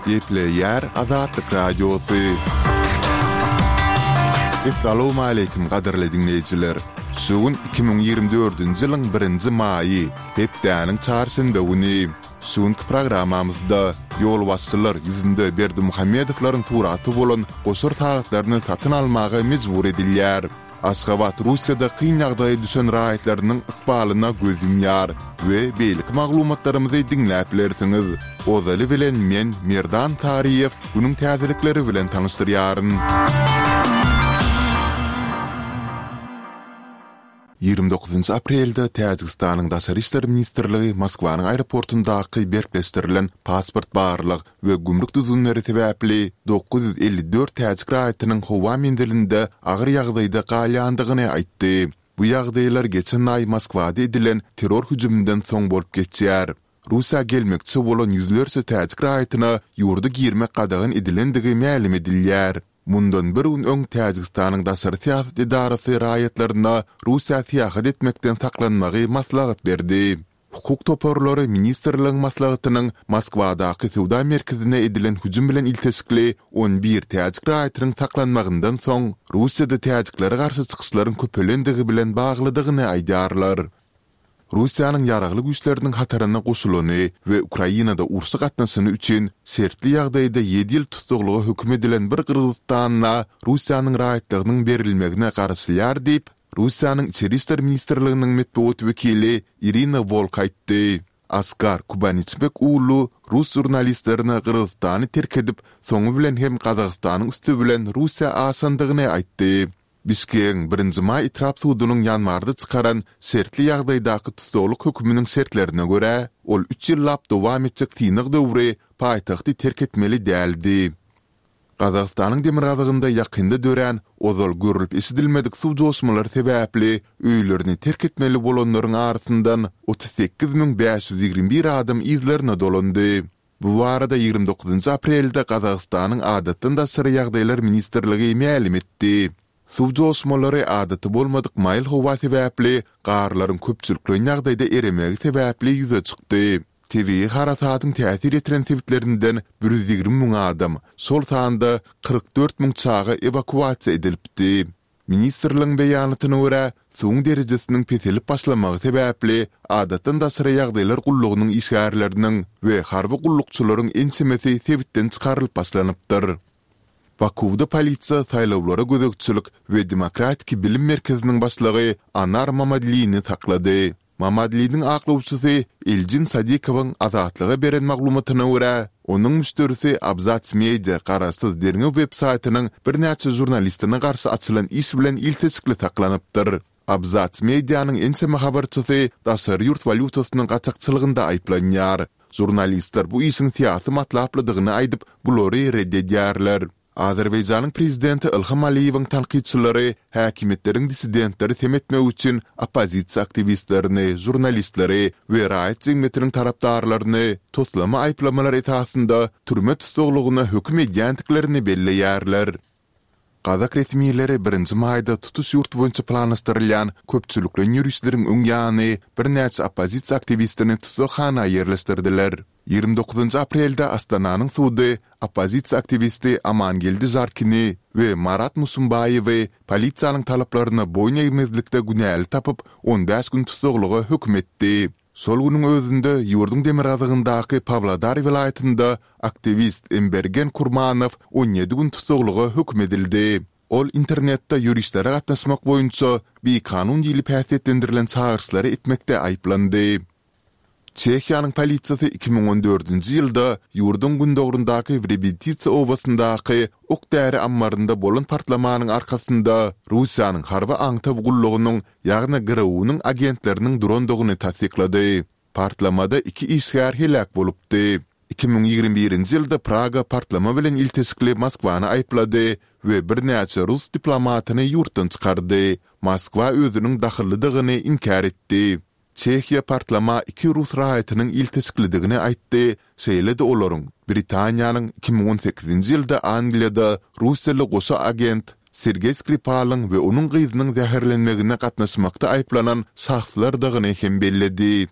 Gepleýär Azatlyk Radiosy. Essalawmaleýkim gadyrly diňleýjiler! Şu gün 2024-nji ýylyň birinji maýy, hepdäniň çarşenbe güni. Şu günki programmamyzda ýolbaşçylar ýüzünde Berdimuhamedowlaryň suraty bolan goşar sagatlaryny satyn almaga mejbur edilýär. Aşgabat Russiýada kyn ýagdaýa düşen raýatlarynyň ykbalyna göz ýumýar we beýleki maglumatlarymyzy diňläp bilersiňiz. Ozaly bilen men, Merdan Taryýew, günüň täzelikleri bilen tanyşdyrýaryn. 29 aprelde Täjigistanyň Daşary işler ministrligi Moskwanyň aeroportundaky berkleşdirilen pasport barlag we gümrük düzgünleri sebäpli 954 täjik raýatynyň howa menzilinde agyr ýagdaýda galýandygyny aýtdy. Bu ýagdaýlar geçen aý Moskwada edilen terror hüjüminden soň bolup geçýär. Russiýa gelmekçi bolan ýüzlerçe täjik raýatyna ýurda girmek gadagan edilendigi mälim edilýär. Mundan bir gün öň Täjigistanyň daşary syýasat edarasy raýatlaryna Russiýa syýahat etmekden saklanmagy maslahat berdi. Hukuk toparlary ministrligiň maslahatynyň Moskwadaky söwda merkezine edilen hüjüm bilen ilteşikli on bir täjik raýatynyň saklanmagyndan soň Russiýada täjiklere garşy çykyşlaryň köpelendigi bilen baglydygyny aýdýarlar. Russiýanyň ýaragly güýçleriniň hataryna goşulany we Ukrainada urşa gatnaşany üçin şertli ýagdaýda ýedi ýyl tussaglyga höküm edilen bir gyrgyzystanla Russiýanyň raýatlygynyň berilmegine garaşylýar diýip, Russiýanyň Içeri işler ministrliginiň metbugat wekili Irina Wolk aýtdy. Askar Kubanyçbek uulu rus žurnalistlerine Gyrgyzystany terk edip, soňy bilen hem Gazagystanyň üsti bilen Russiýa aşandygyny aýtdy. Bişkegiň Birinji maý etrap sudunyň ýanwarda çykaran şertli ýagdaýdaky tussaglyk höküminiň şertlerine görä, ol üç ýyllap dowam etjek synag döwri paýtagty terk etmeli däldi. Gazagystanyň demirgazygynda ýakynda dörän, ozal görlüp-eşidilmedik suw joşmalary sebäpli öýlerini terk etmeli bolanlaryň arasyndan 38 521 adam yzlaryna dolandy. Bu barada 29 aprelde Gazagystanyň Adatdan daşary ýagdaýlar ministrligi mälim etdi. Suw joşmalary adaty bolmadyk maýyl howa sebäpli garlaryň köpçülikleýin ýagdaýda eremegi sebäpli ýüze çykdy. Tebigy harasadyň täsir ýetiren sebitlerinden 120 müň adam, şol sanda 44 müň çaga ewakuasiýa edilipdi. Ministrligiň beýanatyna görä, suwuň derejesiniň peselip başlamagy sebäpli Adatdan daşary ýagdaýlar gullugynyň işgärleriniň we harby gullukçylaryň ençemesi sebitden çykarylyp başlanypdyr. Bakuwda polisiýa saýlawlara gözegçilik we demokratiki bilim merkeziniň başlygy Anar Mamadlini saklady. Mamadliniň aklawçysy Eljin Sadikowyň Azatlyga beren maglumatyna görä, onuň müşderisi Abzats Media garaşsyz derňew websaýtynyň birnäçe žurnalistine garşy açylan iş bilen ilteşikli saklanypdyr. Abzats Medianyň ençeme habarçysy daşary ýurt walýutasynyň gaçakçylygynda aýyplanýar. Žurnalistler bu işiň syýasy matlaplydygyny aýdyp, bulary ret edýärler. Azerbaýjanyň prezidenti Ilham Aliýewiň tankytçylary häkimiýetleriň dissidentleri sem etmek üçin oppozisiýa aktiwistlerini, žurnalistleri we raýat jemgyýetiniň tarapdarlaryny toslama aýyplamalar esasynda türme tussaglygyna höküm edýändiklerini belleýärler. Gazak resmileri birinji maýda tutuş ýurt boýunça planlaşdyrylýan köpçülikleýin ýörişleriň öň ýany birnäçe oppozisiýa aktiwistini tussaghana ýerleşdirdiler. 29 aprelde Astananyň sudy oppozisiýa aktiwisti Amangeldi Žarkini we Marat Musumbaýewi polisiýanyň talaplaryna boýun egmezlikde günäli tapyp, on bäş gün tussaglyga höküm etdi. Şol günüň özünde ýurduň demirgazygyndaky Pawlodar welaýatynda aktiwist Embergen Kurmanow 17 gün tussaglyga höküm edildi. Ol internetde ýörişlere gatnaşmak boýunça bikanun diýlip häsiýetlendirilen çagyryşlary etmekde aýyplandy. Çehiýanyň polisiýasy 2014-nji ýylda ýurduň gündogaryndaky Wrebititsa obasyndaky ok-däri ammarynda bolan partlamanyň arkasynda Russiýanyň harby aňtaw gullugynyň ýagny GRU-nyň agentleriniň durandygyny tassyklady. Partlamada iki işgär heläk bolupdy. 2021-nji ýylda Praga partlama bilen ilteşikli Moskwany aýyplady we birnäçe rus diplomatyny ýurtdan çykardy. Moskwa özüniň dahyllydygyny inkär etdi. Çehiýa partlama iki rus raýatynyň ilteşiklidigini aýtdy, şeýle-de olaryň Britaniýanyň 2018-nji ýylda Angliýada russiýaly goşa agent Sergeý Skripalyň we onuň gyzynyň zäherlenmegine gatnaşmakda aýyplanan şahslardygyny hem belledi.